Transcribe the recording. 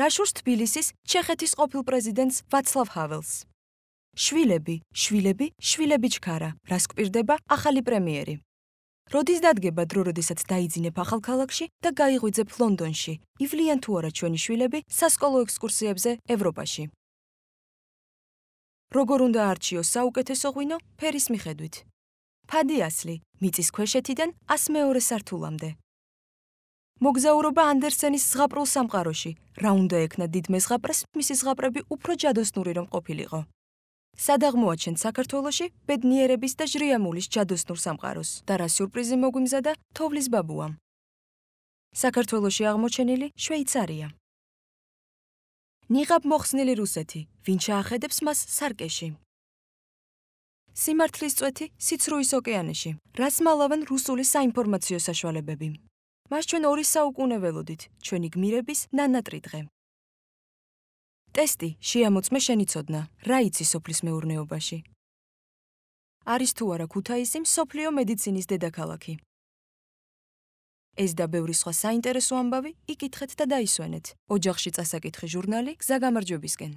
რაშურს თბილისის ჩეხეთის ყოფილ პრეზიდენტს ვაცლავ ჰაველს. შვილები, შვილები, შვილები ჩქარა, რას გვპირდება ახალი პრემიერი. როდის დადგება დრო, როდესაც დაიძინებ ახალქალაქში და გაიღვიძებ ლონდონში, ივლიან თუ არა ჩვენი შვილები სასკოლო ექსკურსიებზე ევროპაში. როგორ უნდა არჩიოს საუკეთესო ღვინო ფერის მიხედვით. ფადი ასლი, მიწის ქვეშეთიდან 102 სართულამდე. მოგზაურობა ანდერსენის ზღაპრულ სამყაროში, რა უნდა ექნა დიდ მეზღაპრეს, მისი ზღაპრები უფრო ჯადოსნური რომ ყოფილიყო. სად აღმოაჩენთ საქართველოში ბედნიერების და ჟრიამულის ჯადოსნურ სამყაროს და რა სიურპრიზი მოგვიმზადა თოვლის ბაბუამ. საქართველოში აღმოჩენილი შვეიცარია. ნიღაბ მოხსნილი რუსეთი, ვინ ჩაახედებს მას სარკეში. სიმართლის წვეთი სიცრუის ოკეანეში, რას მალავენ რუსული საინფორმაციო საშუალებები. მას ჩვენ 2 საუკუნე ველოდით, ჩვენი გმირების ნანატრიდღე. ტესტი შეამოწმე შენი ცოდნა, რა იცი სოფლის მეურნეობაში. არის თუ არა ქუთაისი მსოფლიო მედიცინის დედაქალაქი. ეს და ბევრი სხვა საინტერესო ამბავი იკითხეთ და დაისვენეთ. ოჯახში წასაკითხი ჟურნალი გზა გამარჯვებისკენ.